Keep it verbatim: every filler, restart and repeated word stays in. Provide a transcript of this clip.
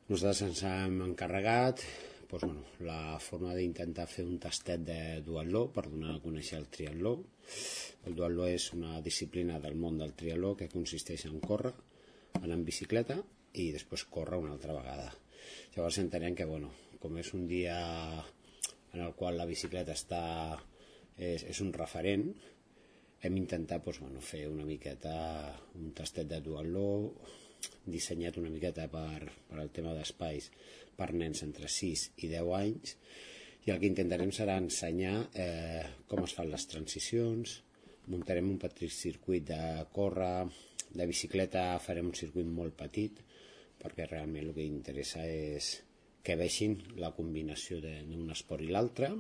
Nosaltres ens hem encarregat doncs, bueno, la forma d'intentar fer un tastet de duatló per donar a conèixer el triatló. El duatló és una disciplina del món del triatló que consisteix en córrer, anar en bicicleta i després córrer una altra vegada. Llavors entenem que, bueno, com és un dia en el qual la bicicleta està, és, és un referent, hem intentat doncs, bueno, fer una miqueta un tastet de duatló dissenyat una miqueta per, per el tema d'espais per nens entre sis i deu anys, i el que intentarem serà ensenyar eh, com es fan les transicions. Muntarem un petit circuit de córrer, de bicicleta farem un circuit molt petit perquè realment el que interessa és que vegin la combinació d'un esport i l'altre.